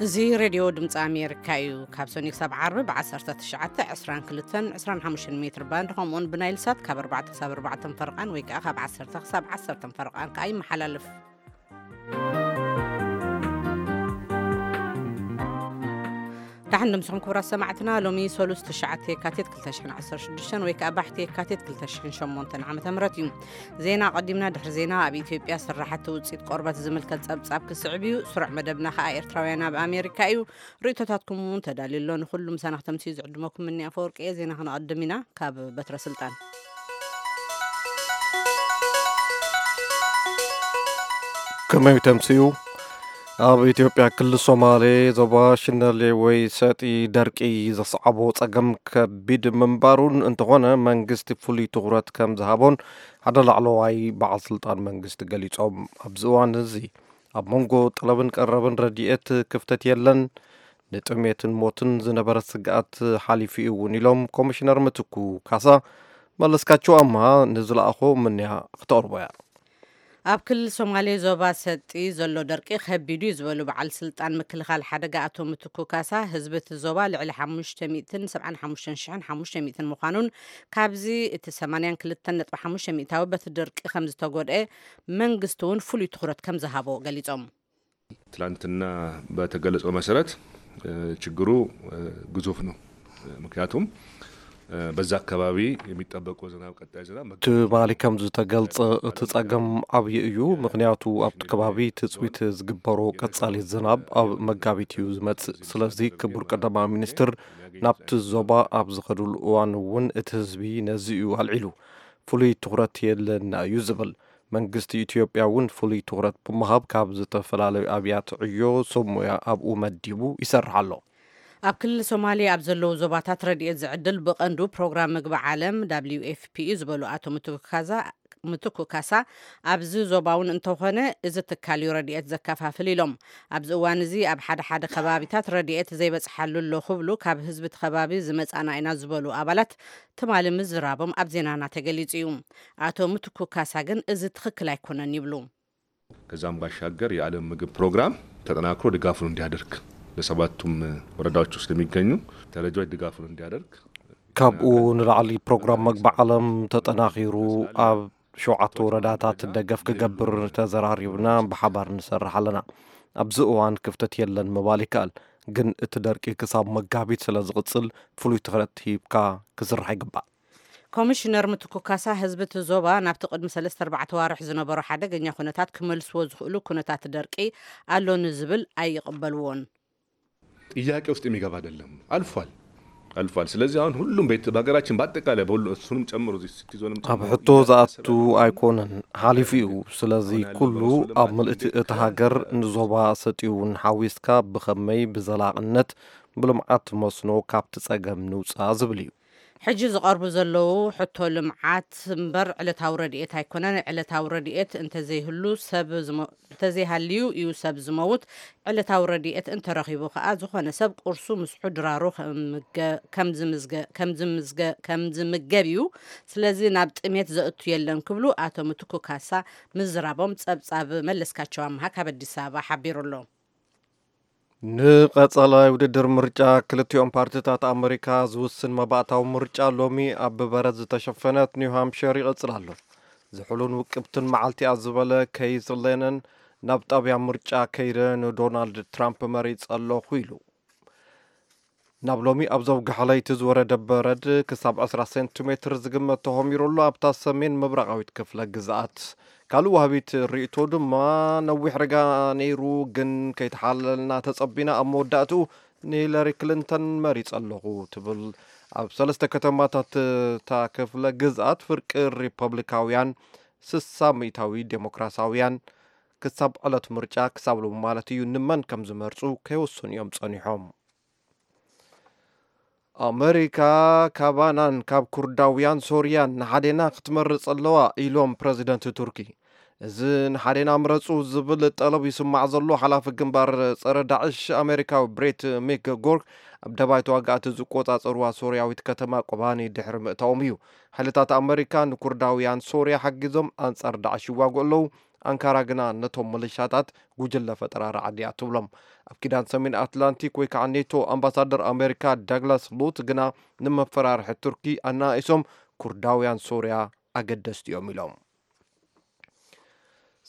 እዚ ሬድዮ ድምፂ ኣሜሪካ እዩ። ካብ ሰኑይ ክሳብ ዓርቢ ብ19፣ 22፣ 25 ሜትር ባንድ፣ ከምኡውን ብናይል ሳት ካብ ኣርባዕተ ክሳብ ኣርባዕተ ፈረቓን ወይ ከዓ ካብ ዓሰርተ ክሳብ ዓሰርተ ፈረቓን ከዓ ይመሓላለፍ። ደሓን ድምስኹም ክቡራት ሰማዕትና። ሎሚ ሰሉስ ትሽዓተ የካቲት ክልተ ሽሕን ዓሰርተ ሽዱሽተን ወይ ከዓ ባሕቲ የካቲት ክልተ ሽሕን ሸሞንተን ዓመተ ምህረት እዩ። ዜና ኣቐዲምና። ድሕሪ ዜና ኣብ ኢትዮጵያ ስራሕቲ ውፅኢት ቆርበት ዝምልከት ጸብጻብ ክስዕብ እዩ። ስሩዕ መደብና ከዓ ኤርትራውያን ኣብ ኣሜሪካ እዩ። ርእይቶታትኩም እውን ተዳልዩ ኣሎ። ንኹሉ ምሳና ክተምስዩ ዝዕድመኩም ምኒ ኣፈወርቂ እየ። ዜና ክነቐድም ኢና። ካብ በትረ ስልጣን ከመይ ተምስዩ? ኣብ ኢትዮጵያ ክልል ሶማሌ ዞባ ሽነሌ ወይ ሰጢ ደርቂ ዘስዓቦ ጸገም ከቢድ ምንባሩን እንተኾነ መንግስቲ ፍሉይ ትኹረት ከም ዝሃቦን ሓደ ላዕለዋይ በዓል ስልጣን መንግስቲ ገሊጾም። ኣብዚ እዋን እዚ ኣብ መንጎ ጠለብን ቀረብን ረድኤት ክፍተት የለን፣ ንጥሜትን ሞትን ዝነበረ ስግኣት ሓሊፉ እዩ እውን ኢሎም ኮሚሽነር ምትኩ ካሳ። መለስካቸው ኣምሃ ንዝለኣኾ ምንያ ክተቕርቦ እያ። ኣብ ክልል ሶማሌ ዞባ ሰጢ ዘሎ ደርቂ ከቢዱ እዩ ዝበሉ በዓል ስልጣን ምክልኻል ሓደጋ ኣቶ ምትኩ ካሳ፣ ህዝቢ እቲ ዞባ ልዕሊ ሓሙሽተ ሚእትን ሰብዓን ሓሙሽተን ሽሕን ሓሙሽተ ሚእትን ምዃኑን፣ ካብዚ እቲ ሰማንያን ክልተን ነጥቢ ሓሙሽተ ሚእታዊ በቲ ደርቂ ከም ዝተጎድአ መንግስቲ እውን ፍሉይ ትኹረት ከም ዝሃቦ ገሊጾም። ትላንትና በተገለጸው መሰረት፣ እ፣ ችግሩ፣ እ፣ ግዙፍ ነው። ምክንያቱም፣ እ፣ በዛ አካባቢ የሚጠበቀው ዝናብ፣ ቀጣይ ዝናብ መግ- ትማሊ ከም ዝተገልጸ፣ እቲ ጸገም ዓብዪ እዩ። ምክንያቱ ኣብቲ ከባቢ ትጽቢት ዝግበሮ ቀጻሊ ዝናብ ኣብ መጋቢት እዩ ዝመጽእ። ስለዚ ክቡር ቀዳማዊ ሚኒስትር ናብቲ ዞባ ኣብ ዝኸዱሉ እዋን እውን እቲ ህዝቢ ነዚ እዩ ኣልዒሉ። ፍሉይ ትኹረት የለና እዩ ዝብል። መንግስቲ ኢትዮጵያ እውን ፍሉይ ትኹረት ብምሃብ ካብ ዝተፈላለዩ ኣብያት ዕዮ ሰብ ሞያ ኣብኡ መዲቡ ይሰርሕ ኣሎ። ኣብ ክልል ሶማሌ ኣብ ዘለዉ ዞባታት ረድኤት ዝዕድል ብቐንዱ ፕሮግራም ምግቢ ዓለም፣ ደብሊው ኤፍ ፒ፣ እዩ ዝበሉ ኣቶ ምትኩ ካዛ-፣ ምትኩ ካሳ፣ ኣብዚ ዞባ እውን እንተኾነ እዚ ትካል እዩ ረድኤት ዘከፋፍል ኢሎም። ኣብዚ እዋን እዚ ኣብ ሓደ ሓደ ከባቢታት ረድኤት ዘይበጽሓሉ ኣሎ ክብሉ ካብ ህዝቢ እቲ ከባቢ ዝመጻና ኢና ዝበሉ ኣባላት ትማሊ ምዝራቦም ኣብ ዜናና ተገሊጹ እዩ። ኣቶ ምትኩ ካሳ ግን እዚ ትኽክል ኣይኮነን ይብሉ። ከዛም ባሻገር የዓለም ምግብ ፕሮግራም ተጠናክሮ ድጋፉን እንዲያደርግ፣ ለሰባቱም ወረዳዎች ውስጥ የሚገኙ ተረጂዎች ድጋፉን እንዲያደርግ፣ ካብኡ ንላዕሊ ፕሮግራም መግቢ ዓለም ተጠናኺሩ ኣብ ሸውዓተ ወረዳታት ደገፍ ክገብር ተዘራሪብና ብሓባር ንሰርሕ ኣለና። ኣብዚ እዋን ክፍተት የለን ምባል ይከኣል፣ ግን እቲ ደርቂ ክሳብ መጋቢት ስለ ዝቕጽል ፍሉይ ትኹረት ሂብካ ክስራሕ ይግባእ። ኮሚሽነር ምትኩ ካሳ፣ ህዝቢ እቲ ዞባ ናብቲ ቅድሚ ሰለስተ ኣርባዕተ ዋርሕ ዝነበሮ ሓደገኛ ኩነታት ክመልስዎ ዝኽእሉ ኩነታት ደርቂ ኣሎ ንዝብል ኣይቕበልዎን። ጥያቄ ውስጥ የሚገባ አይደለም። አልፏል፣ አልፏል። ስለዚህ አሁን ሁሉም ቤት በሀገራችን በአጠቃላይ በሁሉ እሱንም ጨምሮ እዚህ ሲቲ ዞንም ኣብ ጨምሮ ሕቶ ዝኣቱ ኣይኮነን፣ ሓሊፉ እዩ። ስለዚ ኩሉ ኣብ ምልእቲ እቲ ሃገር ንዞባ ሰጢውን ሓዊስካ ብኸመይ ብዘላቕነት ብልምዓት መስኖ ካብቲ ጸገም ንውጻእ ዝብል እዩ። ሕጂ ዝቐርቡ ዘለዉ ሕቶ ልምዓት እምበር ዕለታዊ ረድኤት ኣይኮነን። ዕለታዊ ረድኤት እንተዘይህሉ ሰብ ዝሞ-፣ እንተዘይሃልዩ እዩ ሰብ ዝመውት። ዕለታዊ ረድኤት እንተረኺቡ ከኣ ዝኾነ ሰብ ቁርሱ ምስሑ ድራሩ ከምገ-፣ ከምዝምዝገ-፣ ከምዝምዝገ-፣ ከምዝምገብ እዩ። ስለዚ ናብ ጥሜት ዘእቱ የለን ክብሉ ኣቶ ምትኩ ካሳ ምዝራቦም ጸብጻብ መለስካቸው ኣምሃ ካብ ኣዲስ ኣበባ ሓቢሩ ኣሎ። ንቐጸላይ ውድድር ምርጫ ክልቲኦም ፓርቲታት ኣመሪካ ዝውስን መባእታዊ ምርጫ ሎሚ ኣብ ብበረድ ዝተሸፈነት ኒው ሃምፕሸር ይቕጽል ኣሎ። ዝሑልን ውቅብትን መዓልቲ እያ ዝበለ ኬይዝ ሌነን፣ ናብ ጣብያ ምርጫ ከይደ ንዶናልድ ትራምፕ መሪጸ ኣለኹ ኢሉ። ናብ ሎሚ ኣብ ዘውግሐ ለይቲ ዝወረደ በረድ ክሳብ ዕስራ ሴንቲሜትር ዝግመት ተኾሚሩ ኣሎ ኣብታ ሰሜን ምብራቓዊት ክፍለ ግዝኣት። ካልእ ወሃቢት ርእይቶ ድማ፣ ነዊሕ ርጋ ነይሩ፣ ግን ከይተሓለልና ተጸቢና፣ ኣብ መወዳእትኡ ንሂለሪ ክሊንተን መሪጸ ኣለኹ ትብል። ኣብ ሰለስተ ከተማታት እታ ክፍለ ግዝኣት ፍርቂ ሪፐብሊካውያን፣ ስሳ ሚእታዊ ዴሞክራሳውያን፣ ክሳብ ዕለት ምርጫ፣ ክሳብ ሎሚ ማለት እዩ፣ ንመን ከም ዝመርጹ ከይወሰኑ እዮም ጸኒሖም። ኣመሪካ ካባናን ካብ ኩርዳውያን ሶርያን ንሓዴና ክትመርጽ ኣለዋ ኢሎም ፕረዚደንት ቱርኪ። እዚ ንሓዴና ምረጹ ዝብል ጠለብ ይስማዕ ዘሎ ሓላፊ ግንባር ጸረ ዳዕሽ ኣመሪካዊ ብሬት ሚክጎርክ ኣብ ደባይ ተዋጋእቲ ዝቆጻጸርዋ ሶርያዊት ከተማ ቆባኒ ድሕሪ ምእታዎም እዩ። ሓይልታት ኣመሪካ ንኩርዳውያን ሶርያ ሓጊዞም ኣንጻር ዳዕሽ ይዋግኡ ኣለዉ። ኣንካራ ግና ነቶም መለሻታት ጉጅለ ፈጠራ ራዕዲ እያ ትብሎም። ኣብ ኪዳን ሰሜን ኣትላንቲክ ወይ ከዓ ኔቶ ኣምባሳደር ኣሜሪካ ዳግላስ ሉት ግና ንመፈራርሒ ቱርኪ ኣናኢሶም ኩርዳውያን ሶርያ ኣገደስቲ እዮም ኢሎም።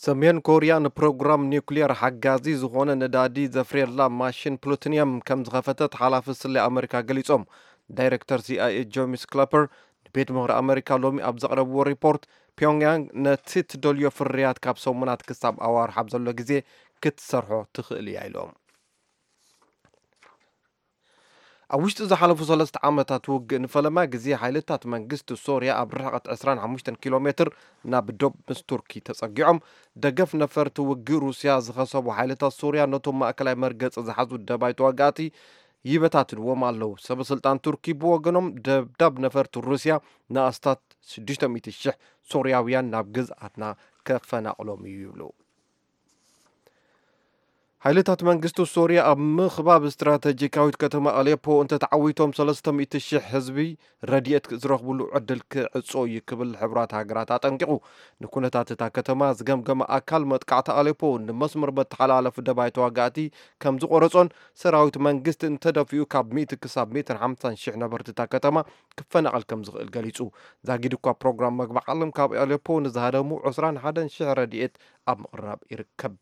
ሰሜን ኮርያ ንፕሮግራም ኒውክሊየር ሓጋዚ ዝኾነ ነዳዲ ዘፍርየላ ማሽን ፕሉቶኒየም ከም ዝኸፈተት ሓላፊ ስለ ኣመሪካ ገሊጾም። ዳይሬክተር ሲኣይኤ ጆሚስ ክለፐር ንቤት ምኽሪ ኣመሪካ ሎሚ ኣብ ዘቕረብዎ ሪፖርት፣ ፒዮንግያንግ ነቲ ትደልዮ ፍርያት ካብ ሰሙናት ክሳብ ኣዋርሕ ኣብ ዘሎ ግዜ ክትሰርሖ ትኽእል እያ ኢሎም። ኣብ ውሽጢ ዝሓለፉ ሰለስተ ዓመታት ውግእ ንፈለማ ግዜ ሓይልታት መንግስቲ ሶርያ ኣብ ርሕቐት ዕስራን ሓሙሽተን ኪሎ ሜትር ናብ ዶብ ምስ ቱርኪ ተጸጊዖም። ደገፍ ነፈርቲ ውግእ ሩስያ ዝኸሰቡ ሓይልታት ሶርያ ነቶም ማእከላይ መርገጺ ዝሓዙ ደባይ ተዋጋእቲ ይበታትንዎም ኣለዉ። ሰበ ስልጣን ቱርኪ ብወገኖም ደብዳብ ነፈርቲ ሩስያ ንኣስታት ሽዱሽተ ሚእቲ ሽሕ ሶርያውያን ናብ ግዝኣትና ከፈናቕሎም እዩ ይብሉ። ሓይልታት መንግስቲ ሶርያ ኣብ ምኽባብ ስትራተጂካዊት ከተማ ኣሌፖ እንተተዓዊቶም ሰለስተ ሚእቲ ሽሕ ህዝቢ ረድኤት ዝረኽብሉ ዕድል ክዕጾ እዩ ክብል ሕቡራት ሃገራት ኣጠንቂቑ። ንኩነታት እታ ከተማ ዝገምገመ ኣካል መጥቃዕቲ ኣሌፖ ንመስመር መተሓላለፊ ደባይ ተዋጋእቲ ከም ዝቆረጾን ሰራዊት መንግስቲ እንተደፊኡ ካብ ሚእቲ ክሳብ ሚእትን ሓምሳን ሽሕ ነበርቲ እታ ከተማ ክፈናቐል ከም ዝኽእል ገሊጹ። ዛጊድ እኳ ፕሮግራም መግቢ ዓለም ካብ ኣሌፖ ንዝሃደሙ ዕስራን ሓደን ሽሕ ረድኤት ኣብ ምቕራብ ይርከብ።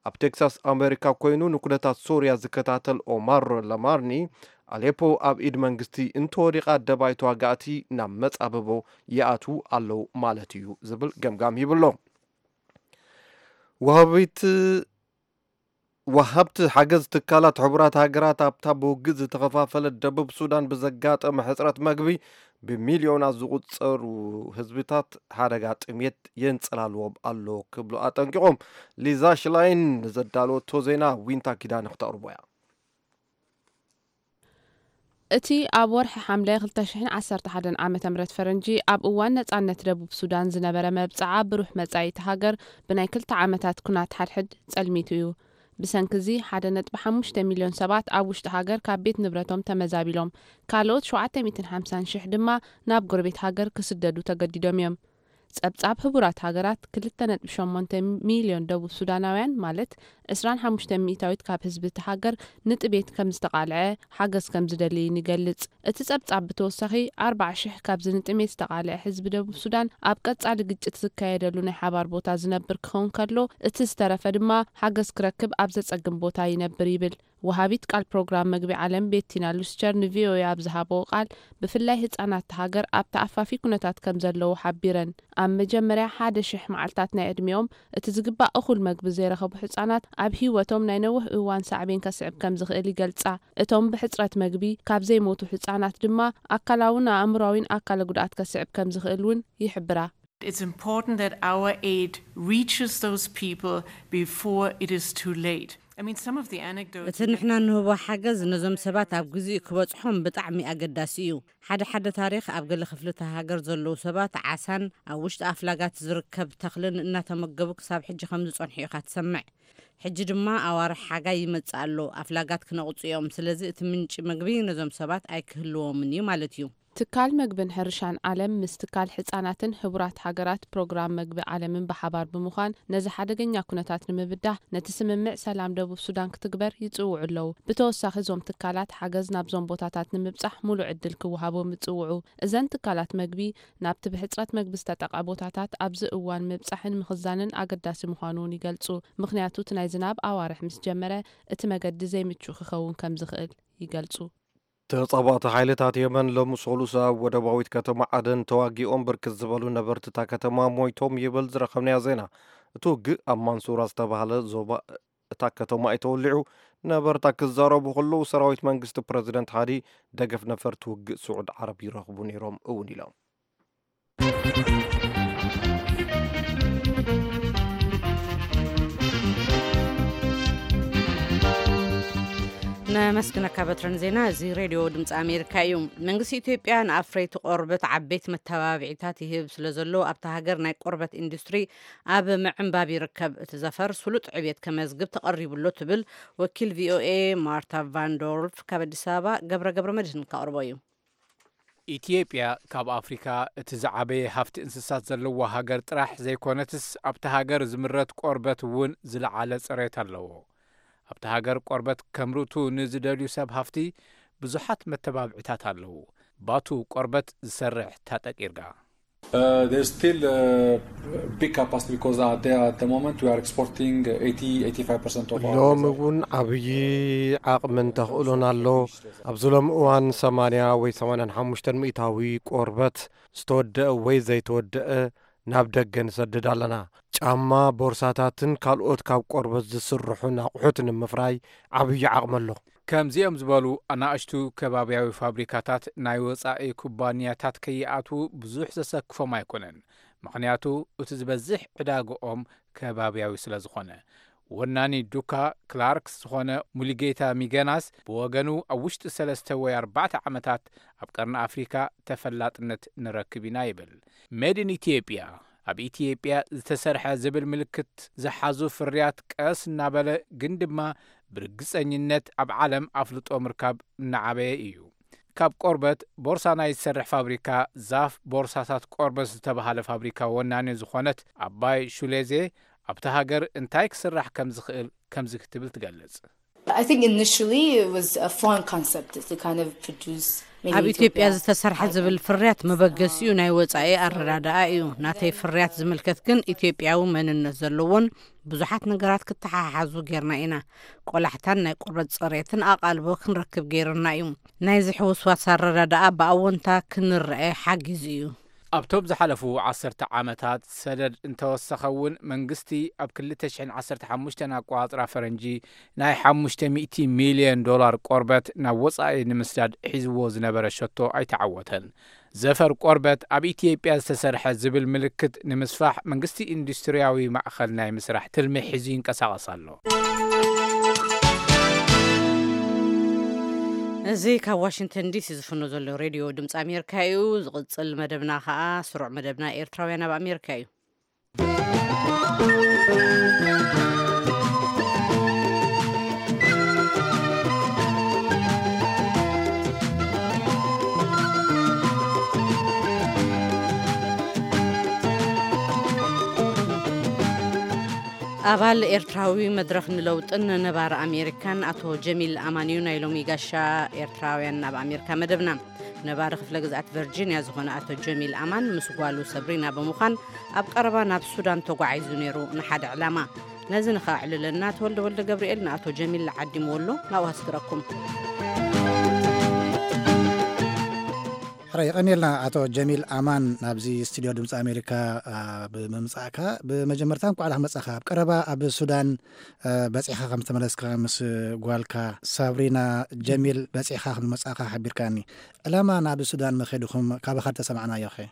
ኣብ ቴክሳስ ኣሜሪካ ኮይኑ ንኩነታት ሶርያ ዝከታተል ኦማር ለማርኒ፣ ኣሌፖ ኣብ ኢድ መንግስቲ እንተወዲቓ ደባይ ተዋጋእቲ ናብ መጻብቦ ይኣትዉ ኣለዉ ማለት እዩ ዝብል ገምጋም ሂቡ ኣሎ። ወሃቢት ወሃብቲ ሓገዝ ትካላት ሕቡራት ሃገራት ኣብታ ብውግእ ዝተኸፋፈለት ደቡብ ሱዳን ብዘጋጠመ ሕጽረት መግቢ ብሚልዮናት ዝቑጸሩ ህዝብታት ሓደጋ ጥሜት የንጸላልዎም ኣሎ ክብሉ ኣጠንቂቖም። ሊዛ ሽላይን ንዘዳለወቶ ዜና ዊንታ ኪዳነ ክተቕርቦ እያ። እቲ ኣብ ወርሒ ሓምለ ክልተ ሽሕን ዓሰርተ ሓደን ዓመተ ምህረት ፈረንጂ ኣብ እዋን ነጻነት ደቡብ ሱዳን ዝነበረ መብጽዓ ብሩህ መጻኢ እቲ ሃገር ብናይ ክልተ ዓመታት ኩናት ሓድሕድ ጸልሚቱ እዩ። ብሰንኪ እዚ ሓደ ነጥቢ ሓሙሽተ ሚልዮን ሰባት ኣብ ውሽጢ ሃገር ካብ ቤት ንብረቶም ተመዛቢሎም፣ ካልኦት ሸውዓተ ሚእትን ሓምሳን ሽሕ ድማ ናብ ጎረቤት ሃገር ክስደዱ ተገዲዶም እዮም። ጸብጻብ ህቡራት ሃገራት ክልተ ነጥቢ ሸሞንተ ሚልዮን ደቡብ ሱዳናውያን ማለት ዕስራን ሓሙሽተ ሚእታዊት ካብ ህዝቢ እቲ ሃገር ንጥሜት ከም ዝተቓልዐ ሓገዝ ከም ዝደሊ ይገልጽ። እቲ ጸብጻብ ብተወሳኺ ኣርብዓ ሽሕ ካብዚ ንጥሜት ዝተቓልዐ ህዝቢ ደቡብ ሱዳን ኣብ ቀጻሊ ግጭት ዝካየደሉ ናይ ሓባር ቦታ ዝነብር ክኸውን ከሎ እቲ ዝተረፈ ድማ ሓገዝ ክረክብ ኣብ ዘጸግም ቦታ ይነብር ይብል። ወሃቢት ቃል ፕሮግራም መግቢ ዓለም ቤቲና ሉስቸር ንቪኦኤ ኣብ ዝሃበኦ ቃል ብፍላይ ህጻናት እታ ሃገር ኣብ ተኣፋፊ ኩነታት ከም ዘለዉ ሓቢረን። ኣብ መጀመርያ ሓደ ሽሕ መዓልታት ናይ ዕድሚኦም እቲ ዝግባእ እኹል መግቢ ዘይረኸቡ ህጻናት ኣብ ህይወቶም ናይ ነዊሕ እዋን ሳዕቤን ከስዕብ ከም ዝኽእል ይገልጻ። እቶም ብሕጽረት መግቢ ካብ ዘይሞቱ ህጻናት ድማ ኣካላውን ኣእምሮኣዊን ኣካለ ጉድኣት ከስዕብ ከም ዝኽእል እውን ይሕብራ። It's important that our aid reaches those people before it is too late. I mean, some of the anecdotes. እቲ ንሕና ንህቦ ሓገዝ ነዞም ሰባት ኣብ ግዜኡ ክበጽሖም ብጣዕሚ ኣገዳሲ እዩ። ሓደ ሓደ ታሪኽ ኣብ ገለ ክፍልታት ሃገር ዘለዉ ሰባት ዓሳን ኣብ ውሽጢ ኣፍላጋት ዝርከብ ተኽልን እናተመገቡ ክሳብ ሕጂ ከም ዝጸንሑ ኢኻ ትሰምዕ። ሕጂ ድማ ኣዋርሕ ሓጋይ ይመጽእ ኣሎ፣ ኣፍላጋት ክነቕጹ እዮም። ስለዚ እቲ ምንጪ መግቢ ነዞም ሰባት ኣይክህልዎምን እዩ ማለት እዩ። ትካል መግብን ሕርሻን ዓለም ምስ ትካል ሕጻናትን ሕቡራት ሃገራት ፕሮግራም መግቢ ዓለምን ብሓባር ብምዃን ነዚ ሓደገኛ ኩነታት ንምብዳህ ነቲ ስምምዕ ሰላም ደቡብ ሱዳን ክትግበር ይጽውዑ ኣለዉ። ብተወሳኺ እዞም ትካላት ሓገዝ ናብዞም ቦታታት ንምብጻሕ ሙሉእ ዕድል ክወሃቦም ይጽውዑ። እዘን ትካላት መግቢ ናብቲ ብሕጽረት መግቢ ዝተጠቕዐ ቦታታት ኣብዚ እዋን ምብጻሕን ምኽዛንን ኣገዳሲ ምዃኑ እውን ይገልጹ። ምኽንያቱ እቲ ናይ ዝናብ ኣዋርሕ ምስ ጀመረ እቲ መገዲ ዘይምቹእ ክኸውን ከም ዝኽእል ይገልጹ። ተጻባእቲ ሓይልታት የመን ሎሚ ሰሉስ ኣብ ወደባዊት ከተማ ዓደን ተዋጊኦም ብርክት ዝበሉ ነበርቲ እታ ከተማ ሞይቶም ይብል ዝረኸብናዮ ዜና። እቲ ውግእ ኣብ ማንሱራ ዝተባህለ ዞባ እታ ከተማ እዩ ተወሊዑ። ነበርታ ክዛረቡ ከለዉ ሰራዊት መንግስቲ ፕረዚደንት ሃዲ ደገፍ ነፈርቲ ውግእ ስዑድ ዓረብ ይረኽቡ ነይሮም እውን ኢሎም። ነመስግነካ በትረን ዜና። እዚ ሬድዮ ድምፂ ኣሜሪካ እዩ። መንግስቲ ኢትዮጵያ ንኣፍረይቲ ቆርበት ዓበይቲ መተባብዒታት ይህብ ስለ ዘሎ ኣብታ ሃገር ናይ ቆርበት ኢንዱስትሪ ኣብ ምዕንባብ ይርከብ። እቲ ዘፈር ስሉጥ ዕብየት ከመዝግብ ተቐሪቡሎ ትብል ወኪል ቪኦኤ ማርታ ቫንዶርፍ ካብ ኣዲስ ኣበባ ገብረ ገብረ መድህን ከቕርቦ እዩ። ኢትዮጵያ ካብ ኣፍሪካ እቲ ዝዓበየ ሃፍቲ እንስሳት ዘለዋ ሃገር ጥራሕ ዘይኮነትስ፣ ኣብቲ ሃገር ዝምረት ቆርበት እውን ዝለዓለ ጽሬት ኣለዎ። ኣብቲ ሃገር ቆርበት ከምርቱ ንዝደልዩ ሰብ ሃፍቲ ብዙሓት መተባብዒታት ኣለዉ። ባቱ ቆርበት ዝሰርሕ ታጠቅ ይርጋ። Uh, there's still a big capacity because at the, at the moment we are exporting eighty eighty-five percent of our ሎም እውን ዓብዪ ዓቕምን ተኽእሎን ኣሎ። ኣብዚ ሎም እዋን ሰማንያ ወይ ሰማንያን ሓሙሽተን ሚእታዊ ቆርበት ዝተወደአ ወይ ዘይተወደአ ናብ ደገ ንሰድድ ኣለና። ጫማ፣ ቦርሳታትን ካልኦት ካብ ቆርበት ዝስርሑን ኣቑሑት ንምፍራይ ዓብዪ ዓቕሚ ኣሎ። ከምዚኦም ዝበሉ ኣናእሽቱ ከባብያዊ ፋብሪካታት ናይ ወጻኢ ኩባንያታት ከይኣትዉ ብዙሕ ዘሰክፎም ኣይኮነን። ምኽንያቱ እቲ ዝበዝሕ ዕዳግኦም ከባብያዊ ስለ ዝኾነ። ወናኒ ዱካ ክላርክስ ዝኾነ ሙሉጌታ ሚገናስ ብወገኑ፣ ኣብ ውሽጢ ሰለስተ ወይ ኣርባዕተ ዓመታት ኣብ ቀርኒ ኣፍሪካ ተፈላጥነት ንረክብ ኢና ይብል። ሜድ ኢን ኢትዮጵያ፣ ኣብ ኢትዮጵያ ዝተሰርሐ ዝብል ምልክት ዝሓዙ ፍርያት ቀስ እናበለ ግን ድማ ብርግፀኝነት ኣብ ዓለም ኣፍልጦ ምርካብ እናዓበየ እዩ። ካብ ቆርበት ቦርሳ ናይ ዝሰርሕ ፋብሪካ ዛፍ ቦርሳታት ቆርበት ዝተባሃለ ፋብሪካ ወናኒ ዝኾነት ኣባይ ሹሌዜ፣ ኣብቲ ሃገር እንታይ ክስራሕ ከም ዝኽእል ከምዚ ክትብል ትገልጽ። I think initially it was a foreign concept to kind of produce made in ኣብ ኢትዮጵያ Ethiopia. ዝተሰርሐ ዝብል ፍርያት መበገሲኡ ናይ ወጻኢ ኣረዳድኣ እዩ። ናተይ ፍርያት ዝምልከት ግን ኢትዮጵያዊ መንነት ዘለዎን ብዙሓት ነገራት ክተሓሓዙ ጌርና ኢና። ቆላሕታን ናይ ቆርበት ጽሬትን ኣቓልቦ ክንረክብ ገይሩና እዩ። ናይዚ ሕውስዋስ ኣረዳድኣ ብኣወንታ ክንረአ ሓጊዙ እዩ። ኣብቶም ዝሓለፉ ዓሰርተ ዓመታት ሰደድ እንተወሰኸ እውን መንግስቲ ኣብ ክልተ ሽሕን ዓሰርተ ሓሙሽተን ኣቋጽራ ፈረንጂ ናይ ሓሙሽተ ሚእቲ ሚልዮን ዶላር ቆርበት ናብ ወጻኢ ንምስዳድ ሒዝዎ ዝነበረ ሸቶ ኣይተዓወተን። ዘፈር ቆርበት ኣብ ኢትዮጵያ ዝተሰርሐ ዝብል ምልክት ንምስፋሕ መንግስቲ ኢንዱስትሪያዊ ማእኸል ናይ ምስራሕ ትልሚ ሒዙ ይንቀሳቐስ ኣሎ። እዚ ካብ ዋሽንግተን ዲሲ ዝፍኖ ዘሎ ሬድዮ ድምፂ ኣሜሪካ እዩ። ዝቕፅል መደብና ከዓ ስሩዕ መደብና ኤርትራውያን ኣብ ኣሜሪካ እዩ። ኣባል ኤርትራዊ መድረኽ ንለውጥን ነባር ኣሜሪካን ኣቶ ጀሚል ኣማን እዩ ናይ ሎሚ ጋሻ ኤርትራውያን ኣብ ኣሜሪካ መደብና። ነባሪ ክፍለ ግዝኣት ቨርጂንያ ዝኾነ ኣቶ ጀሚል ኣማን ምስ ጓሉ ሰብሪና ብምዃን ኣብ ቀረባ ናብ ሱዳን ተጓዒዙ ነይሩ ንሓደ ዕላማ። ነዚ ንኸዕልለና ተወልደ ወልደ ገብርኤል ንኣቶ ጀሚል ዓዲምዎ ኣሎ፣ ናብኡ ኣስግረኩም። ሕራይ የቐንየልና ኣቶ ጀሚል ኣማን ናብዚ ስቱድዮ ድምፂ ኣሜሪካ አ፣ ብምምፃእካ። ብመጀመርታ እንኳዕ ደሓን መፃኻ። ኣብ ቀረባ ኣብ ሱዳን አ፣ በፂኻ ከም ዝተመለስካ ምስ ጓልካ ሳብሪና ጀሚል በፂኻ ከም ዝመፃእካ ሓቢርካኒ። ዕላማ ናብ ሱዳን መኸድኹም ካባኻ ተሰማዕናዮ ኸ?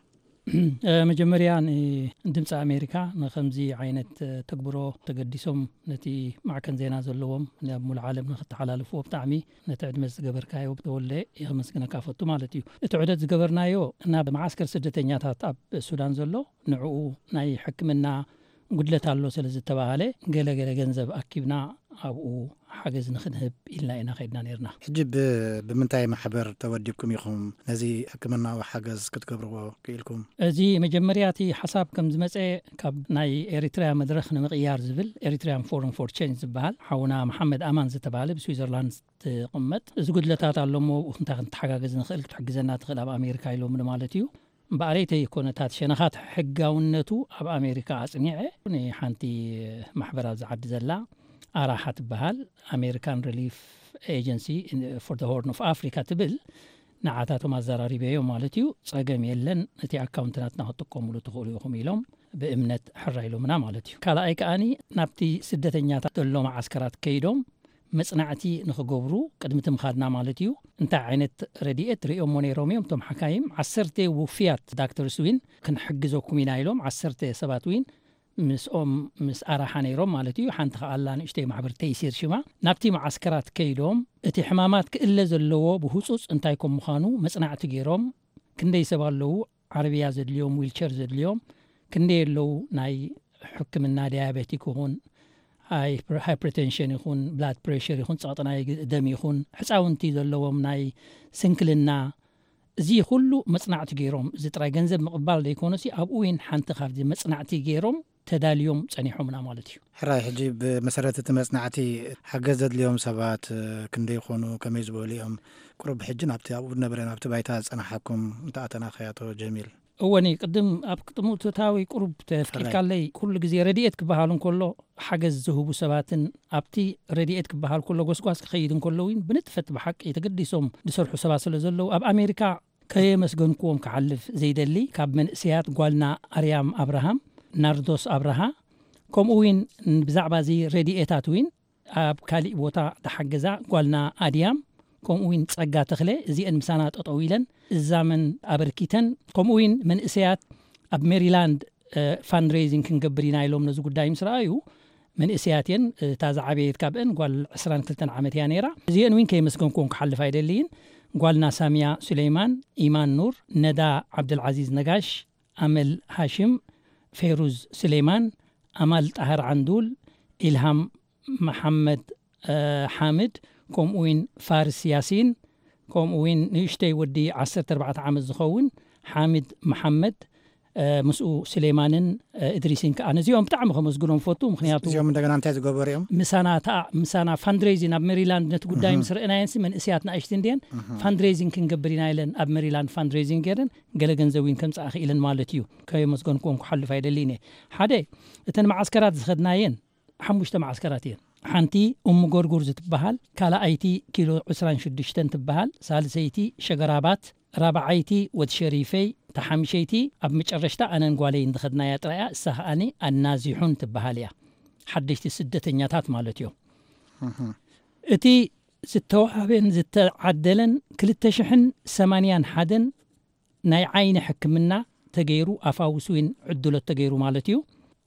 መጀመርያ ንድምፂ ኣሜሪካ ንከምዚ ዓይነት ተግብሮ ተገዲሶም ነቲ ማዕከን ዜና ዘለዎም ናብ ሙሉእ ዓለም ንክተሓላልፍዎ ብጣዕሚ ነቲ ዕድመ ዝገበርካዮ ተወልደ የመስግነካ ፈቱ ማለት እዩ። እቲ ዑደት ዝገበርናዮ ናብ መዓስከር ስደተኛታት ኣብ ሱዳን ዘሎ ንዕኡ ናይ ሕክምና ጉድለት ኣሎ ስለ ዝተባሃለ ገለ ገለ ገንዘብ ኣኪብና ኣብኡ ሓገዝ ንክንህብ ኢልና ኢና ከይድና ነርና። ሕጂ ብ- ብምንታይ ማሕበር ተወዲብኩም ኢኹም ነዚ ሕክምናዊ ሓገዝ ክትገብርዎ ክኢልኩም? እዚ መጀመርያ እቲ ሓሳብ ከም ዝመፀ ካብ ናይ ኤሪትሪያ መድረኽ ንምቕያር ዝብል ኤሪትሪያን ፎረም ፎር ቼንጅ ዝበሃል ሓውና መሓመድ ኣማን ዝተባሃለ ብስዊዘርላንድ ትቕመጥ እዚ ጉድለታት ኣሎ እሞ እንታይ ክንተሓጋገዝ ንኽእል ክትሕግዘና ትኽእል ኣብ ኣሜሪካ ኢሎምኒ ማለት እዩ። እምበኣረይ ተይኮነታት ሸነኻት ሕጋውነቱ ኣብ ኣሜሪካ ኣፅኒዐ ንሓንቲ ማሕበር ኣብዚ ዓዲ ዘላ ኣራሓ ትበሃል ኣሜሪካን ሪሊፍ ኤጀንሲ ፎር ሆርን ኦፍ ኣፍሪካ ትብል ንዓታቶም ኣዘራሪበዮ ማለት እዩ። ፀገም የለን፣ እቲ ኣካውንት ናትና ክትጥቀሙሉ ትኽእሉ ኢኹም ኢሎም ብእምነት ሕራ ኢሎምና ማለት እዩ። ካልኣይ ከኣኒ ናብቲ ስደተኛታት ዘሎ መዓስከራት ከይዶም መፅናዕቲ ንክገብሩ ቅድሚ ትምኻድና ማለት እዩ እንታይ ዓይነት ረድኤት ርእዮሞ ነይሮም እዮም እቶም ሓካይም። ዓሰርተ ውፍያት ዳክተርስ ዊን ክንሕግዘኩም ኢና ኢሎም ዓሰርተ ሰባት ዊን ምስኦም ምስ ኣራሓ ነይሮም ማለት እዩ። ሓንቲ ከኣላ ንእሽተይ ማሕበር ተይሲር ሽማ ናብቲ መዓስከራት ከይዶም እቲ ሕማማት ክእለ ዘለዎ ብህፁፅ እንታይ ከም ምዃኑ መፅናዕቲ ገይሮም ክንደይ ሰብ ኣለዉ ዓረብያ ዘድልዮም ዊልቸር ዘድልዮም ክንደይ ኣለዉ ናይ ሕክምና ዲያቤቲክ ይኹን ሃይፕርቴንሽን ይኹን ብላድ ፕሬሽር ይኹን ፀቕጢ ናይ ደም ይኹን ሕፃውንቲ ዘለዎም ናይ ስንክልና እዚ ኩሉ መጽናዕቲ ገይሮም፣ እዚ ጥራይ ገንዘብ ምቕባል ዘይኮነሲ፣ ኣብኡ እውን ሓንቲ ካብዚ መጽናዕቲ ገይሮም ተዳልዮም ጸኒሖምና ማለት እዩ። ሕራይ፣ ሕጂ ብመሰረት እቲ መጽናዕቲ ሓገዝ ዘድልዮም ሰባት ክንደይ ይኾኑ፣ ከመይ ዝበሉ እዮም? ቁሩብ ሕጂ ናብቲ ኣብኡ ዝነበረ፣ ናብቲ ባይታ ዝጸናሓኩም እንተኣተናኸ፣ ኣቶ ጀሚል? እወኒ፣ ቅድም ኣብ ቅድሙ እቶታዊ ቁሩብ ተፍቂድካለይ፣ ኩሉ ግዜ ረድኤት ክበሃል እንከሎ፣ ሓገዝ ዝህቡ ሰባትን ኣብቲ ረድኤት ክበሃል ከሎ ጎስጓስ ክኸይድ እንከሎ እውን ብንጥፈት ብሓቂ ተገዲሶም ዝሰርሑ ሰባት ስለ ዘለዉ፣ ኣብ ኣሜሪካ ከየመስገንክዎም ክሓልፍ ዘይደሊ፣ ካብ መንእሰያት ጓልና ኣርያም ኣብርሃም፣ ናርዶስ ኣብርሃ፣ ከምኡ እውን ብዛዕባ እዚ ረድኤታት እውን ኣብ ካሊእ ቦታ ተሓገዛ ጓልና ኣድያም፣ ከምኡ እውን ጸጋ ተኽለ፣ እዚአን ምሳና ጠጠው ኢለን እዛመን ኣበርኪተን፣ ከምኡ እውን መንእሰያት ኣብ ሜሪላንድ ፋንድሬዚንግ ክንገብር ኢና ኢሎም ነዚ ጉዳይ ምስ ረኣዩ፣ መንእሰያት እየን። እታ ዝዓበየት ካብአን ጓል ዕስራን ክልተን ዓመት እያ ነይራ። እዚአን እውን ከየመስገንክዎም ክሓልፍ ኣይደልይን። ጓልና ሳሚያ ሱሌይማን፣ ኢማን ኑር፣ ነዳ ዓብደልዓዚዝ ነጋሽ፣ ኣመል ሃሽም፣ ፌሩዝ ስሌማን፣ ኣማል ጣህር ዓንዱል፣ ኢልሃም መሓመድ ሓምድ፣ ከምኡ እውን ፋርስ ያሲን፣ ከምኡ እውን ንእሽተይ ወዲ ዓሰርተ ኣርባዕተ ዓመት ዝኸውን ሓምድ መሓመድ፣ ምስኡ ስሌማንን እድሪስን ከዓ። ነዚኦም ብጣዕሚ ከመስግኖም ፈቱ። ምክንያቱ እዚኦም እንደገና እንታይ ዝገበሩ እዮም? ምሳና ተኣ ምሳና ፋንድሬዚን ኣብ ሜሪላንድ ነቲ ጉዳይ ምስ ረእናየንሲ፣ መንእስያት ንኣሽቲ እንድየን፣ ፋንድሬዚን ክንገብር ኢና ኢለን ኣብ ሜሪላንድ ፋንድሬዚን ገይረን ገለ ገንዘብ እውን ከምፅኣ ክኢለን ማለት እዩ። ከየመስገንክዎም ክሓልፍ ኣይደልይን እየ። ሓደ፣ እተን መዓስከራት ዝኸድናየን ሓሙሽተ መዓስከራት እየን። ሓንቲ እሙ ጎርጉር ዝትበሃል፣ ካልኣይቲ ኪሎ ዕስራን ሽዱሽተን ትበሃል፣ ሳልሰይቲ ሸገራባት፣ ራብዓይቲ ወድ ሸሪፈይ፣ ተሓምሸይቲ ኣብ መጨረሽታ ኣነን ጓለይን ዝኸድናያ ጥራያ፣ እሳ ከኣኒ ኣናዚሑን ትበሃል እያ። ሓደሽቲ ስደተኛታት ማለት እዮም። እቲ ዝተዋህበን ዝተዓደለን ክልተ ሽሕን ሰማንያን ሓደን ናይ ዓይኒ ሕክምና ተገይሩ፣ ኣፋውስ እውን ዕድሎት ተገይሩ ማለት እዩ።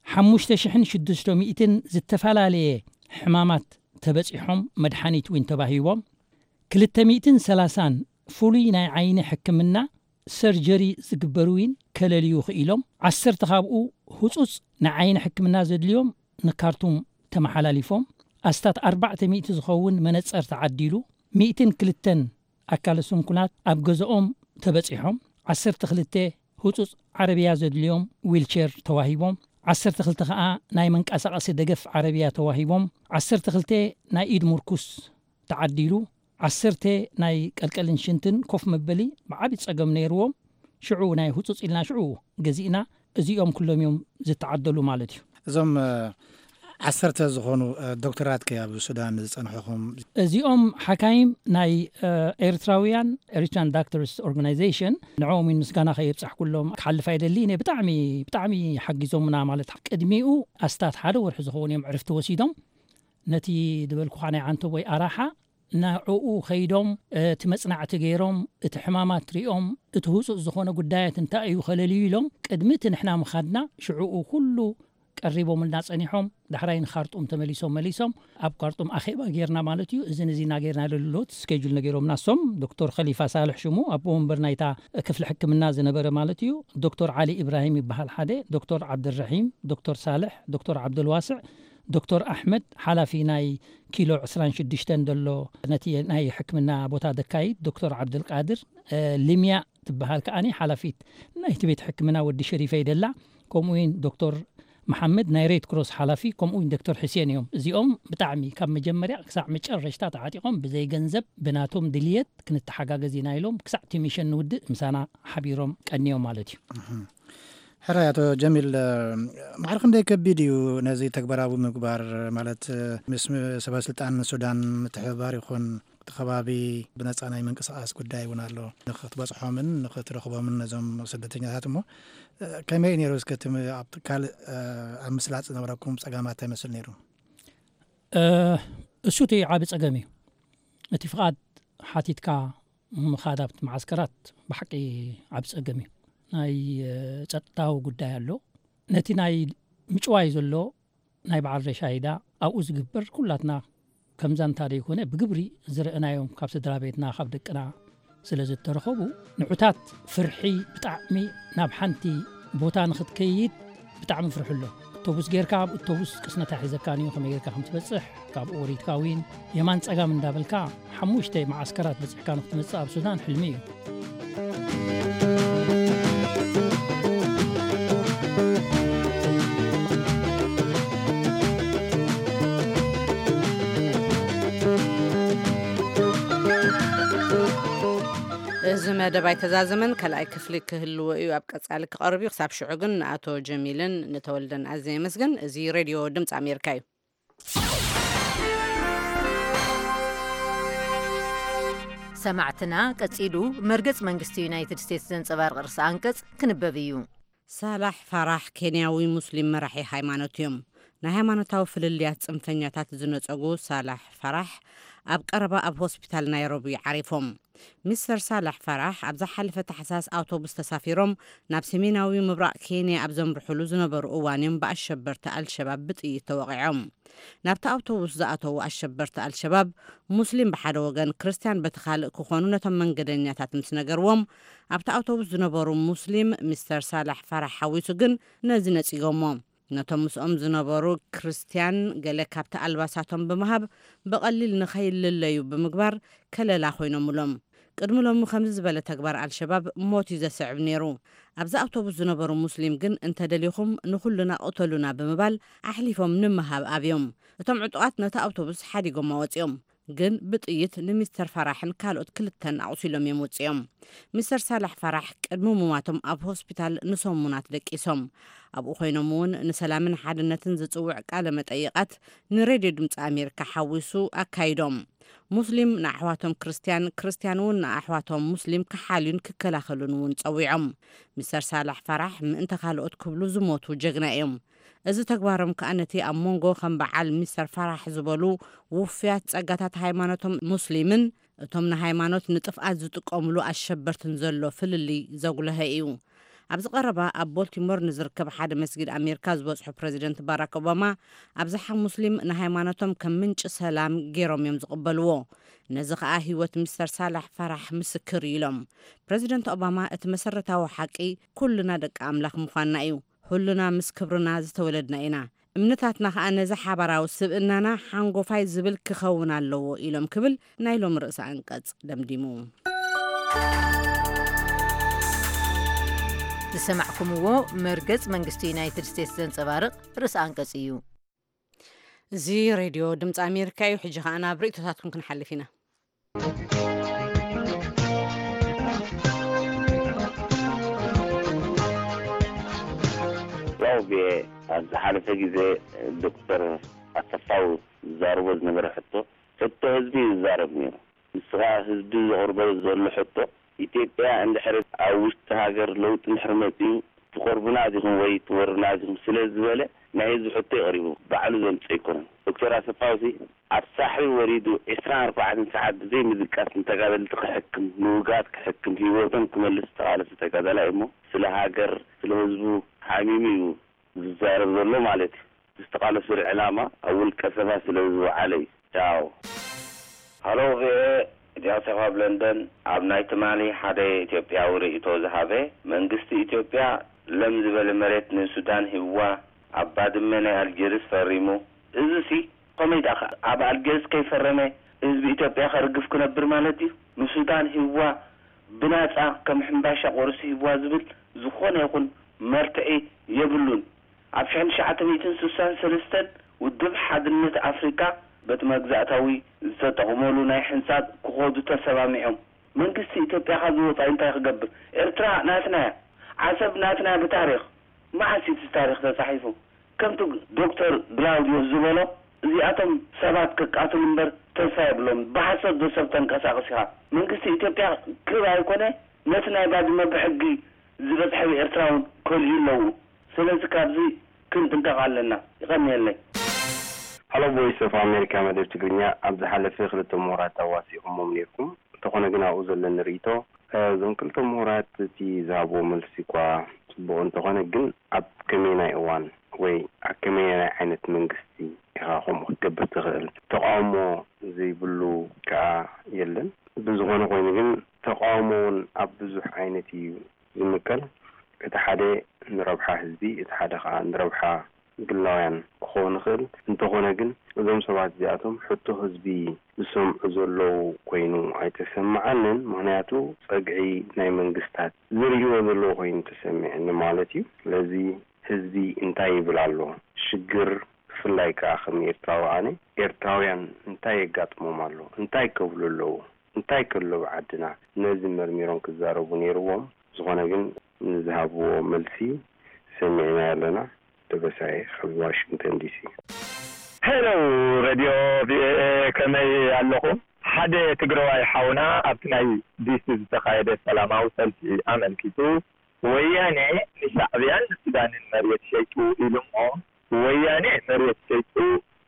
ሓሙሽተ ሽሕን ሽዱሽተ ሚእትን ዝተፈላለየ ሕማማት ተበጺሖም፣ መድሓኒት እውን ተባሂቦም። ክልተ ሚእትን ሰላሳን ፍሉይ ናይ ዓይኒ ሕክምና ሰርጀሪ ዝግበሩ እውን ከለልዩ ክኢሎም። ዓሰርተ ካብኡ ህጹጽ ናይ ዓይኒ ሕክምና ዘድልዮም ንካርቱም ተመሓላሊፎም። ኣስታት ኣርባዕተ ሚእቲ ዝኸውን መነጸር ተዓዲሉ። ሚእትን ክልተን ኣካለ ስንኩላት ኣብ ገዛኦም ተበጺሖም። ዓሰርተ ክልተ ህጹጽ ዓረብያ ዘድልዮም ዊልቸር ተዋሂቦም። ዓሰርተ ክልተ ከኣ ናይ መንቀሳቐሲ ደገፍ ዓረብያ ተዋሂቦም። ዓሰርተ ክልተ ናይ ኢድ ምርኩስ ተዓዲሉ። ዓሰርተ ናይ ቀልቀልን ሽንትን ኮፍ መበሊ ብዓቢ ጸገም ነይርዎም። ሽዑ ናይ ህጹጽ ኢልና ሽዑ ገዚእና። እዚኦም ኩሎም እዮም ዝተዓደሉ ማለት እዩ። እዞም፣ እ፣ ዓሰርተ ዝኾኑ፣ እ፣ ዶክተራት ከ ኣብ ሱዳን ዝጸንሕኹም? እዚኦም ሓካይም ናይ፣ እ፣ ኤርትራውያን፣ ኤሪትራን ዳክተርስ ኦርጋናይዜሽን፣ ንዕኦም እውን ምስጋና ከየብጻሕኩሎም ክሓልፍ ኣይደልይን እየ። ብጣዕሚ፣ ብጣዕሚ ሓጊዞምና ማለት። ቅድሚኡ ኣስታት ሓደ ወርሒ ዝኸውን እዮም ዕርፍቲ ወሲዶም። ነቲ ዝበልኩኻ ናይ ዓንተቦይ ኣራሓ፣ ንዕኡ ከይዶም፣ እቲ መጽናዕቲ ገይሮም፣ እቲ ሕማማት ሪኦም፣ እቲ ህጹጽ ዝኾነ ጉዳያት እንታይ እዩ ከለልዩ ኢሎም፣ ቅድሚ እቲ ንሕና ምኻድና፣ ሽዕኡ ኩሉ ቀሪቦምልና ጸኒሖም። ዳሕራይ ንኻርጡም ተመሊሶም፣ መሊሶም ኣብ ካርጡም ኣኼባ ጌርና ማለት እዩ። እዝን እዚና ጌርና ለሎት ስኬጁል ነገሮምና። እሶም ዶክተር ኸሊፋ ሳልሕ ሽሙ፣ ኣቦ ወንበር ናይታ ክፍሊ ሕክምና ዝነበረ ማለት እዩ። ዶክተር ዓሊ ኢብራሂም ይበሃል ሓደ፣ ዶክተር ዓብደልረሒም፣ ዶክተር ሳልሕ፣ ዶክተር ዓብደልዋስዕ፣ ዶክተር ኣሕመድ፣ ሓላፊ ናይ ኪሎ ዕስራን ሽዱሽተን ዘሎ ነቲ ናይ ሕክምና ቦታ ደካይድ፣ ዶክተር ዓብደልቃድር፣ እ፣ ልምያ ትበሃል ከኣኒ ሓላፊት ናይቲ ቤት ሕክምና ወዲ ሸሪፈይ ደላ፣ ከምኡ እውን ዶክተር መሓመድ ናይ ሬድ ክሮስ ሓላፊ፣ ከምኡ እውን ዶክተር ሕሴን እዮም። እዚኦም ብጣዕሚ ካብ መጀመርያ ክሳዕ መጨረሽታ ተዓጢቖም ብዘይ ገንዘብ ብናቶም ድልየት ክንተሓጋገዝ ኢና ኢሎም ክሳዕ እቲ ሚሽን ንውድእ ምሳና ሓቢሮም ቀንዮም ማለት እዩ። ሕራይ ኣቶ ጀሚል፣ ማዕረ ክንደይ ከቢድ እዩ ነዚ ተግባራዊ ምግባር? ማለት ምስ ሰበ ስልጣን ሱዳን ምትሕብባር ይኹን፣ እቲ ከባቢ ብነጻ ናይ ምንቅስቓስ ጉዳይ እውን ኣሎ። ንኽትበጽሖምን ንኽትረኽቦምን ነዞም ስደተኛታት እሞ፣ ከመይ እዩ ነይሩ? እስከ እቲ ም-፣ ኣብ ካልእ፣ ኣብ ምስላጥ ዝነበረኩም ጸገማት እንታይ ይመስል ነይሩ? እ፣ እሱ እቲ ዓቢ ጸገም እዩ። እቲ ፍቓድ ሓቲትካ ምኻድ ኣብቲ መዓስከራት ብሓቂ ዓቢ ጸገም እዩ። ናይ፣ እ፣ ጸጥታዊ ጉዳይ ኣሎ። ነቲ ናይ ምጭዋይ ዘሎ ናይ በዓል ረሻይዳ ኣብኡ ዝግበር ኩላትና ከም ዛንታ ዘይኮነ ብግብሪ ዝረእናዮም ካብ ስድራ ቤትና ካብ ደቅና ስለ ዝተረኸቡ ንዑታት ፍርሒ ብጣዕሚ ናብ ሓንቲ ቦታ ንኽትከይድ ብጣዕሚ ፍርሑ ኣሎ። ኣውቶቡስ ጌርካ ኣብ ኣውቶቡስ ቅስነታ ሒዘካን እዩ ከመይ ጌርካ ከም ትበጽሕ ካብኡ ወሪድካ እውን የማን ጸጋም እንዳበልካ ሓሙሽተ መዓስከራት በጺሕካ ንክትመጽእ ኣብ ሱዳን ሕልሚ እዩ። መደብ ኣይተዛዘመን፣ ካልኣይ ክፍሊ ክህልዎ እዩ፣ ኣብ ቀጻሊ ክቐርብ እዩ። ክሳብ ሽዑ ግን ንኣቶ ጀሚልን ንተወልደን ኣዝየ የመስግን። እዚ ሬድዮ ድምፂ ኣሜሪካ እዩ። ሰማዕትና፣ ቀጺሉ መርገጽ መንግስቲ ዩናይትድ ስቴትስ ዘንጸባርቕ ርእሰ ኣንቀጽ ክንበብ እዩ። ሳላሕ ፋራሕ ኬንያዊ ሙስሊም መራሒ ሃይማኖት እዮም። ናይ ሃይማኖታዊ ፍልልያት ጽንፈኛታት ዝነጸጉ ሳላሕ ፋራሕ ኣብ ቀረባ ኣብ ሆስፒታል ናይሮቢ ዓሪፎም። ሚስተር ሳላሕ ፋራሕ ኣብ ዝሓለፈ ታሕሳስ ኣውቶቡስ ተሳፊሮም ናብ ሰሜናዊ ምብራቕ ኬንያ ኣብ ዘምርሑሉ ዝነበሩ እዋን እዮም ብኣሸበርቲ ኣልሸባብ ብጥይት ተወቒዖም። ናብቲ ኣውቶቡስ ዝኣተዉ ኣሸበርቲ ኣልሸባብ፣ ሙስሊም ብሓደ ወገን፣ ክርስትያን በቲ ካልእ ክኾኑ ነቶም መንገደኛታት ምስ ነገርዎም፣ ኣብቲ ኣውቶቡስ ዝነበሩ ሙስሊም ሚስተር ሳላሕ ፋራሕ ሓዊሱ ግን ነዚ ነጺጎሞ። ነቶም ምስኦም ዝነበሩ ክርስትያን ገለ ካብቲ ኣልባሳቶም ብምሃብ፣ ብቐሊል ንኸይልለዩ ብምግባር ከለላ ኮይኖምሎም። ቅድሚ ሎሚ ከምዚ ዝበለ ተግባር ኣልሸባብ ሞት እዩ ዘስዕብ ነይሩ። ኣብዚ ኣውቶቡስ ዝነበሩ ሙስሊም ግን፣ "እንተ ደሊኹም ንኹልና ቅተሉና" ብምባል ኣሕሊፎም ንምሃብ ኣብዮም። እቶም ዕጡቓት ነቲ ኣውቶቡስ ሓዲጎም ኣወጺኦም። ግን ብጥይት ንሚስተር ፋራሕን ካልኦት ክልተን ኣቑሲሎም እዮም ወጺኦም። ሚስተር ሳላሕ ፋራሕ ቅድሚ ሙማቶም ኣብ ሆስፒታል ንሰሙናት ደቂሶም። ኣብኡ ኮይኖም እውን ንሰላምን ሓድነትን ዝጽውዕ ቃለ መጠይቓት ንሬድዮ ድምፂ ኣሜሪካ ሓዊሱ ኣካይዶም። ሙስሊም ንኣሕዋቶም ክርስትያን፣ ክርስትያን እውን ንኣሕዋቶም ሙስሊም ክሓልዩን ክከላኸሉን እውን ጸዊዖም። ሚስተር ሳላሕ ፋራሕ ምእንተ ካልኦት ክብሉ ዝሞቱ ጀግና እዮም። እዚ ተግባሮም ከኣ ነቲ ኣብ መንጎ ከም በዓል ሚስተር ፋራሕ ዝበሉ ውፉያት ጸጋታት ሃይማኖቶም ሙስሊምን እቶም ንሃይማኖት ንጥፍኣት ዝጥቀሙሉ ኣሸበርትን ዘሎ ፍልልይ ዘጉለሀ እዩ። ኣብዚ ቀረባ ኣብ ቦልቲሞር ንዝርከብ ሓደ መስጊድ ኣሜሪካ ዝበጽሑ ፕረዚደንት ባራክ ኦባማ፣ ኣብዝሓ ሙስሊም ንሃይማኖቶም ከም ምንጪ ሰላም ገይሮም እዮም ዝቕበልዎ። ነዚ ከኣ ህይወት ሚስተር ሳላሕ ፋራሕ ምስክር እዩ ኢሎም። ፕረዚደንት ኦባማ፣ "እቲ መሰረታዊ ሓቂ ኩልና ደቂ ኣምላኽ ምዃንና እዩ። ኩልና ምስ ክብርና ዝተወለድና ኢና። እምነታትና ከኣ ነዚ ሓባራዊ ስብእናና ሓንጎፋይ ዝብል ክኸውን ኣለዎ" ኢሎም ክብል ናይ ሎም ርእሰ ኣንቀጽ ደምዲሙ። ዝሰማዕኩምዎ መርገጽ መንግስቲ ዩናይትድ ስቴትስ ዘንጸባርቕ ርእሰ ኣንቀጽ እዩ። እዚ ሬድዮ ድምፂ ኣሜሪካ እዩ። ሕጂ ከኣ ናብ ርእይቶታትኩም ክንሓልፍ ኢና። ያው ቪኦኤ፣ ኣብ ዝሓለፈ ግዜ ዶክተር ኣሰፋው ዝዛረቦ ዝነበረ ሕቶ፣ ሕቶ ህዝቢ እዩ ዝዛረብ ነይሩ። ንስኻ ህዝቢ ዘቕርቦ ዘሎ ሕቶ፣ ኢትዮጵያ እንድሕር ኣብ ውሽጢ ሃገር ለውጢ እንድሕር መጺኡ፣ ትቖርቡና ዲኹም ወይ ትወሩና ዲኹም ስለ ዝበለ፣ ናይ ህዝቢ ሕቶ እዩ ቀሪቡ፣ ባዕሉ ዘምጽኦ ኣይኮነን። ዶክተር ኣሰፋውሲ ኣብ ሳሕሪ ወሪዱ ዕስራን ኣርባዕተን ሰዓት ብዘይ ምድቃስ ንተጋደልቲ ክሕክም፣ ንውጉኣት ክሕክም፣ ህይወቶም ክመልስ ዝተቓለሰ ተጋዳላይ እሞ፣ ስለ ሃገር፣ ስለ ህዝቡ ሓሚሙ እዩ ዝዛረብ ዘሎ ማለት እዩ። ዝተቓለሰሉ ዕላማ ኣብ ውልቀ ሰባት ስለ ዝወዓለ እዩ። ቻው። ሃሎ ቪኦኤ፣ ጃሴፍ ኣብ ለንደን። ኣብ ናይ ትማሊ ሓደ ኢትዮጵያዊ ርእይቶ ዝሃበ፣ መንግስቲ ኢትዮጵያ ለም ዝበለ መሬት ንሱዳን ሂብዋ፣ ኣብ ባድመ ናይ ኣልጀርስ ፈሪሙ። እዚሲ ከመይ ደኣ ኣብ ኣልጀርስ ከይፈረመ ህዝቢ ኢትዮጵያ ከርግፍ ክነብር ማለት ድዩ? ንሱዳን ሂብዋ፣ ብናጻ ከም ሕምባሻ ቆርሲ ሂብዋ ዝብል ዝኾነ ይኹን መርትዒ የብሉን። ኣብ ሽሕን ትሽዓተ ሚእትን ስሳን ሰለስተን ውድብ ሓድነት ኣፍሪቃ በቲ መግዛእታዊ ዝተጠቕመሉ ናይ ሕንጻጽ ክኸዱ ተሰማሚዖም። መንግስቲ ኢትዮጵያ ካብዚ ወጻኢ እንታይ ክገብር? ኤርትራ ናትና እያ። ዓሰብ ናትና እያ ብታሪኽ። መዓስ እዩ እቲ ታሪኽ ተጻሒፉ? ከምቲ ዶክተር ግላውዲዮስ ዝበሎ፣ እዚኣቶም ሰባት ክቃትሉ እምበር ተስፋ የብሎም። ብሓሶት ዶ ሰብ ተንቀሳቕስ ኢኻ? መንግስቲ ኢትዮጵያ ክብ ኣይኮነ፣ ነቲ ናይ ባድመ ብሕጊ ዝበጽሐ ብኤርትራ እውን ከልኡ ኣለዉ። ስለዚ ካብዚ ክንጥንቀቕ ኣለና። ይቐንየለይ። ሃሎ ቮይስ ኦፍ ኣሜሪካ መደብ ትግርኛ፣ ኣብ ዝሓለፈ ክልተ ምሁራት ኣዋሲኹሞም ነይርኩም። እንተኾነ ግን ኣብኡ ዘለኒ ርእይቶ፣ እዞም ክልተ ምሁራት እቲ ዝሃብዎ መልሲ እኳ ጽቡቕ እንተኾነ ግን ኣብ ከመይናይ እዋን ወይ ኣብ ከመይናይ ዓይነት መንግስቲ ኢኻ ከምኡ ክትገብር ትኽእል? ተቃውሞ ዘይብሉ ከኣ የለን። ብዝኾነ ኮይኑ ግን ተቃውሞ እውን ኣብ ብዙሕ ዓይነት እዩ ዝምቀል። እቲ ሓደ ንረብሓ ህዝቢ፣ እቲ ሓደ ከኣ ንረብሓ ግላውያን ክኸውን ይኽእል። እንተኾነ ግን እዞም ሰባት እዚኣቶም ሕቶ ህዝቢ ዝሰምዑ ዘለዉ ኮይኑ ኣይተሰምዓንን። ምኽንያቱ ጸግዒ ናይ መንግስታት ዝርእይዎ ዘለዉ ኮይኑ ተሰሚዕኒ ማለት እዩ። ስለዚ ህዝቢ እንታይ ይብል ኣሎ? ሽግር ብፍላይ ከኣ ከም ኤርትራዊ ኣነ፣ ኤርትራውያን እንታይ የጋጥሞም ኣሎ? እንታይ ከብሉ ኣለዉ? እንታይ ከሎ ኣብ ዓድና ነዚ መርሚሮም ክዛረቡ ነይርዎም። ዝኾነ ግን ንዝሃብዎ መልሲ ሰሚዕና ኣለና። ደበሳይ ካብ ዋሽንግተን ዲሲ። ሄሎ ሬድዮ ቪኦኤ፣ ከመይ ኣለኹም? ሓደ ትግራዋይ ሓውና ኣብቲ ናይ ዲሲ ዝተኻየደ ሰላማዊ ሰልፊ ኣመልኪቱ፣ ወያኔ ንሻዕብያን ንሱዳንን መሬት ሸይጡ ኢሉ እሞ፣ ወያኔ መሬት ሸይጡ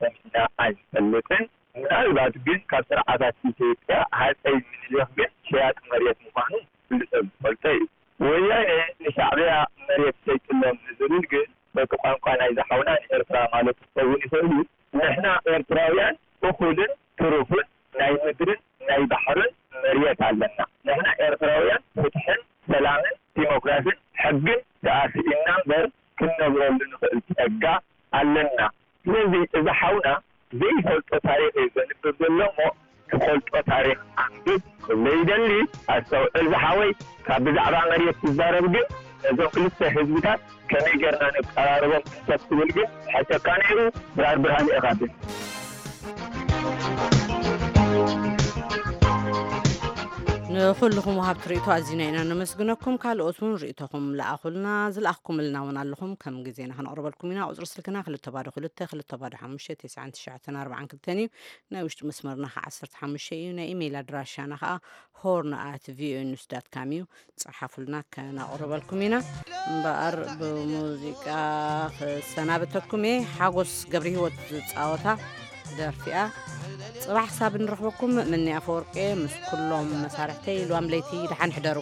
ሰሚዕና ኣይንፈልጥን። ምናልባት ግን ካብ ስርዓታት ኢትዮጵያ ሃፀይ ምኒልክ ግን ሸያጢ መሬት ምዃኑ ኩሉ ሰብ ዝፈልጦ እዩ። ወያኔ ንሻዕብያ መሬት ሸይጥሎም ንዝብል ግን በቲ ቋንቋ ናይዚ ሓውና ንኤርትራ ማለት ክኸውን ይኽእል እዩ። ንሕና ኤርትራውያን እኹልን ትሩፍን ናይ ምድርን ናይ ባሕርን መሬት ኣለና። ንሕና ኤርትራውያን ፍትሕን ሰላምን ዲሞክራስን ሕግን ደኣ ስኢንና እምበር ክንነብረሉ ንኽእል ጸጋ ኣለና። ስለዚ እዚ ሓውና ዘይፈልጦ ታሪኽ እዩ ዘንብብ ዘሎ እሞ ትፈልጦ ታሪኽ ኣንብብ ክብሎ ይደሊ። ኣስተውዕል ዝሓወይ፣ ካብ ብዛዕባ መሬት ትዛረብ ግን ነዞም ክልተ ህዝብታት ከመይ ጌርና ነቀራርቦም እንተትብል ግን ሕሸካ ነይሩ። ድራር ብርሃን ኢኻ ግን። ንኹልኹም ወሃብቲ ርእይቶ ኣዚና ኢና ነመስግነኩም። ካልኦት እውን ርእይቶኹም ለኣኹልና፣ ዝለኣኽኩምልና እውን ኣለኹም። ከም ግዜና ከነቕርበልኩም ኢና። ቁጽሪ ስልክና ክልተ ባዶ ክልተ፣ ክልተ ባዶ ሓሙሽተ፣ ተስዓን ትሽዓተን ኣርባዓን ክልተን እዩ። ናይ ውሽጢ መስመርና ኸዓ ዓሰርተ ሓሙሽተ እዩ። ናይ ኢሜይል ኣድራሻና ኸዓ ሆርን ኣት ቪኦኤ ኒውስ ዳት ካም እዩ። ጸሓፉልና፣ ከነቕርበልኩም ኢና። እምበኣር ብሙዚቃ ክሰናበተኩም እየ። ሓጎስ ገብረ ህይወት ዝጻወታ ደርፊ እያ። ጽባሕ ክሳብ ንረኽበኩም፣ ምኒ ኣፈወርቂ ምስ ኩሎም መሳርሕተይ፣ ልዋም ለይቲ ደሓን ሕደሩ።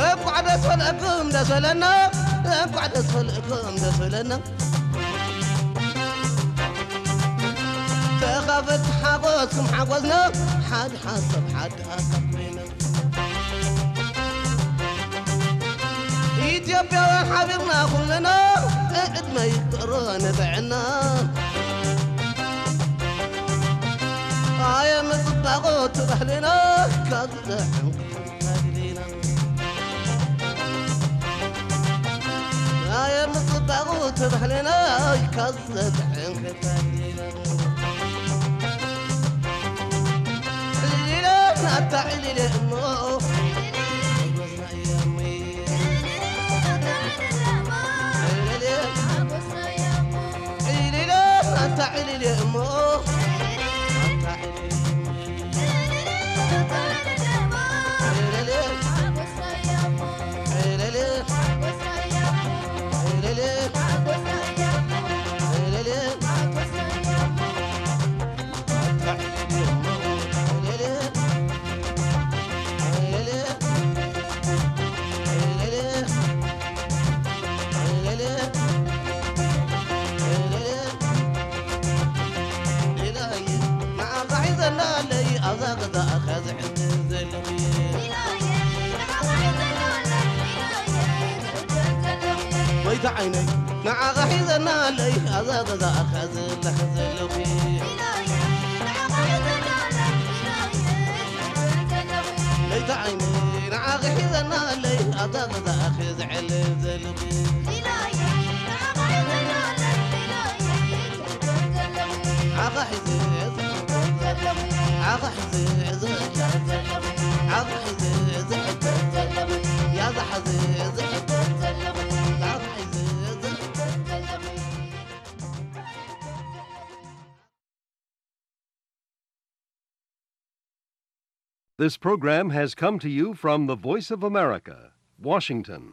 እንኳዕ ደስ በለኩም ደስ በለና፣ እንኳዕ ደስ በለኩም ደስ በለና። ተኻፈልቲ ሓጎስኩም ሓጎስና፣ ሓደ ሓሳብ ሓደ ሓሳብ ኮይና። ኢትዮጵያውያን ሓቢርና ኩልና፣ ዕድመ ይፍጠሮ ንጥዕና። ኣየ ምጽባቑ እቲ ባህልና ካብ ዝጥዕም ኣየ ምጽባቑ እቲ ባህልና ካብ ዘጥዕም ክታሊና። ዕሊለ ናታ ዕሊለ እሞ ዕሊለ ናታ ዕሊለ እሞ ጎይታ ዓይነይ ንዓኻ ሒዘና ኣለይ ኣብዛ ገዛኻ ዝልሕ ዘለኹ። ጎይታ ዓይነይ ንዓኻ ሒዘና ኣለይ ኣብዛ ገዛኻ ዝዕልል ዘለኹ። ንዓኻ ሒዘ ንዓኻ ሒዘ ዝሕተት ዘለኹ። ንዓኻ ሒዘ ዝሕተት ዘለኹ። ያዛ ሓዘ ዝሕተት ዘለኹ። ንዓኻ ሒዘ ዝሕተት ዘለኹ። This program has come to you from the Voice of America, Washington.